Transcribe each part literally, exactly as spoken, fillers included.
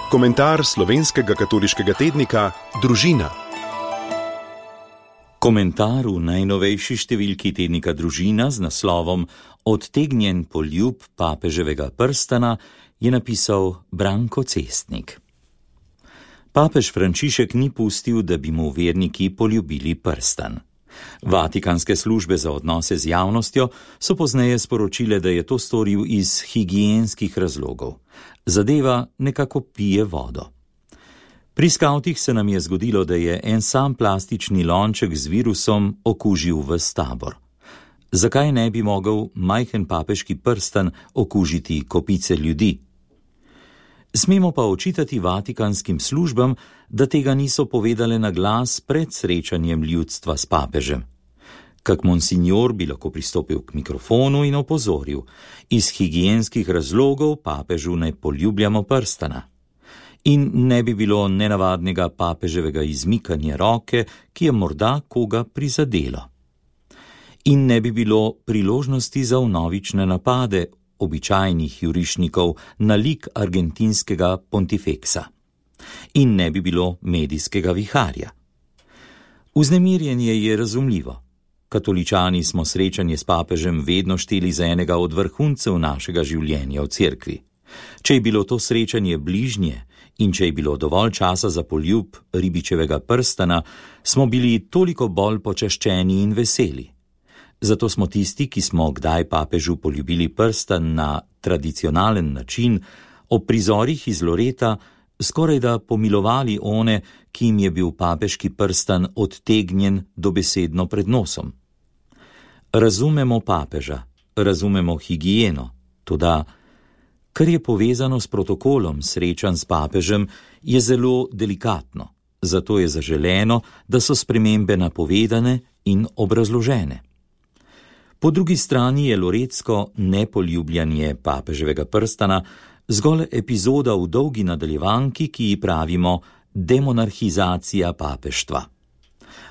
Komentar slovenskega katoliškega tednika Družina. Komentar v najnovejši številki tednika Družina z naslovom Odtegnjen poljub papeževega prstana je napisal Branko Cestnik. Papež Frančišek ni pustil, da bi mu verniki poljubili prstan. Vatikanske službe za odnose z javnostjo so pozneje sporočile, da je to storil iz higienskih razlogov. Zadeva nekako pije vodo. Pri skavtih se nam je zgodilo, da je en sam plastični lonček z virusom okužil ves tabor. Zakaj ne bi mogel majhen papeški prstan okužiti kopice ljudi? Smemo pa očitati vatikanskim službam, da tega niso povedale na glas pred srečanjem ljudstva s papežem. Kak monsinjor bi lahko pristopil k mikrofonu in opozoril: iz higienskih razlogov papežu ne poljubljamo prstana. In ne bi bilo nenavadnega papeževega izmikanja roke, ki je morda koga prizadelo. In ne bi bilo priložnosti za vnovične napade običajnih jurišnikov na lik argentinskega pontifeksa. In ne bi bilo medijskega viharja. Vznemirjenje je razumljivo. Katoličani smo srečanje s papežem vedno šteli za enega od vrhuncev našega življenja v cerkvi. Če je bilo to srečanje bližnje in če je bilo dovolj časa za poljub ribičevega prstana, smo bili toliko bolj počaščeni in veseli. Zato smo tisti, ki smo kdaj papežu poljubili prstan na tradicionalen način, ob prizorih iz Loreta skoraj da pomilovali one, ki jim je bil papeški prstan odtegnjen dobesedno pred nosom. Razumemo papeža, razumemo higieno, toda kar je povezano s protokolom srečanj s papežem, je zelo delikatno, zato je zaželeno, da so spremembe napovedane in obrazložene. Po drugi strani je loretsko nepoljubljanje papeževega prstana zgolj epizoda v dolgi nadaljevanki, ki ji pravimo demonarhizacija papeštva.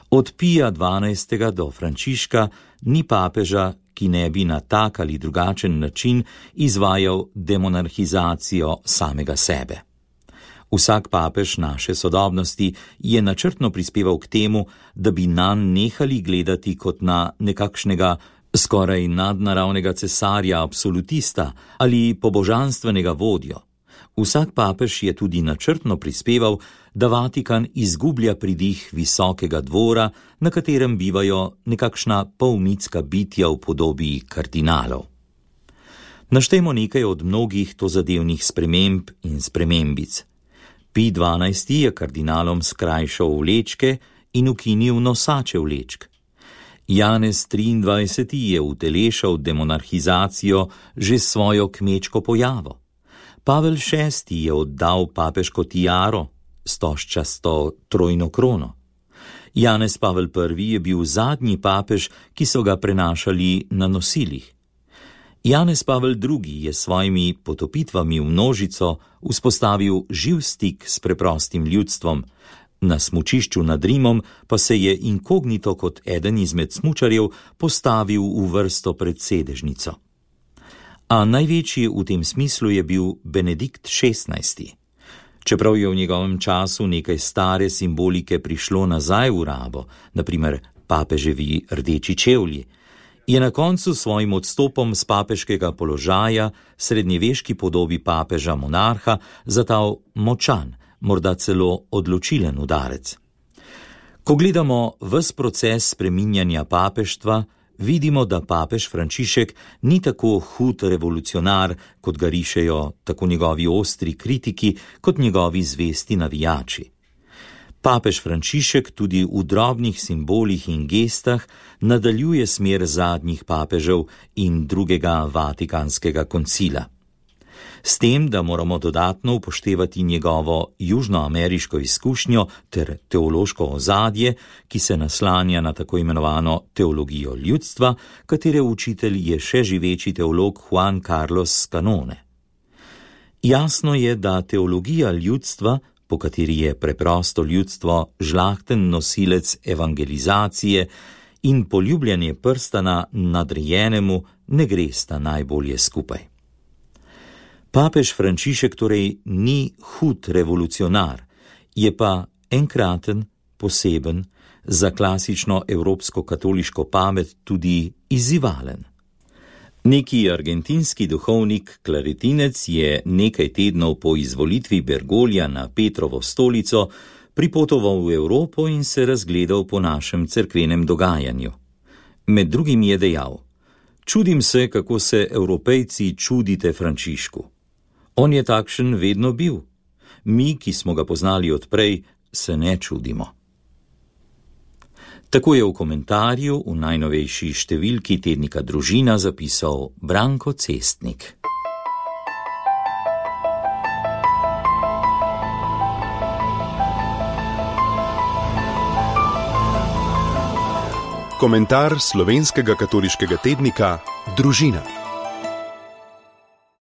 Od Pija dvanajstega do Frančiška ni papeža, ki ne bi na tak ali drugačen način izvajal demonarhizacijo samega sebe. Vsak papež naše sodobnosti je načrtno prispeval k temu, da bi nanj nehali gledati kot na nekakšnega skoraj nadnaravnega cesarja absolutista ali pobožanstvenega vodjo. Vsak papež je tudi načrtno prispeval, da Vatikan izgublja pridih visokega dvora, na katerem bivajo nekakšna polmitska bitja v podobi kardinalov. Naštejmo nekaj od mnogih tozadevnih sprememb in spremembic. Pij dvanajsti je kardinalom skrajšal vlečke in ukinil nosače vlečk. Janez triindvajseti je utelešal demonarhizacijo že s svojo kmečko pojavo. Pavel šesti je oddal papeško tiaro, stožčasto trojno krono. Janez Pavel prvi je bil zadnji papež, ki so ga prenašali na nosilih. Janez Pavel drugi je s svojimi potopitvami v množico vzpostavil živ stik s preprostim ljudstvom. Na smučišču nad Rimom pa se je inkognito kot eden izmed smučarjev postavil v vrsto pred sedežnico. A največji v tem smislu je bil Benedikt šestnajsti. Čeprav je v njegovem času nekaj stare simbolike prišlo nazaj v rabo, na primer papeževi rdeči čevlji, je na koncu svojim odstopom z papeškega položaja srednjeveški podobi papeža monarha zatal močan, morda celo odločilen udarec. Ko gledamo ves proces spreminjanja papeštva, vidimo, da papež Frančišek ni tako hud revolucionar, kot ga rišejo tako njegovi ostri kritiki, kot njegovi zvesti navijači. Papež Frančišek tudi v drobnih simbolih in gestah nadaljuje smer zadnjih papežev in drugega vatikanskega koncila. S tem, da moramo dodatno upoštevati njegovo južnoameriško izkušnjo ter teološko ozadje, ki se naslanja na tako imenovano teologijo ljudstva, katere učitelj je še živeči teolog Juan Carlos Canone. Jasno je, da teologija ljudstva, po kateri je preprosto ljudstvo žlahten nosilec evangelizacije in poljubljanje prstana nadrejenemu, ne gresta najbolje skupaj. Papež Frančišek torej ni hud revolucionar, je pa enkraten, poseben, za klasično evropsko katoliško pamet tudi izzivalen. Neki argentinski duhovnik klaritinec je nekaj tednov po izvolitvi Bergolja na Petrovo stolico pripotoval v Evropo in se razgledal po našem cerkvenem dogajanju. Med drugim je dejal: čudim se, kako se Evropejci čudite Frančišku. On je takšen vedno bil. Mi, ki smo ga poznali odprej, se ne čudimo. Tako je v komentarju v najnovejši številki tednika Družina zapisal Branko Cestnik. Komentar slovenskega katoliškega tednika Družina.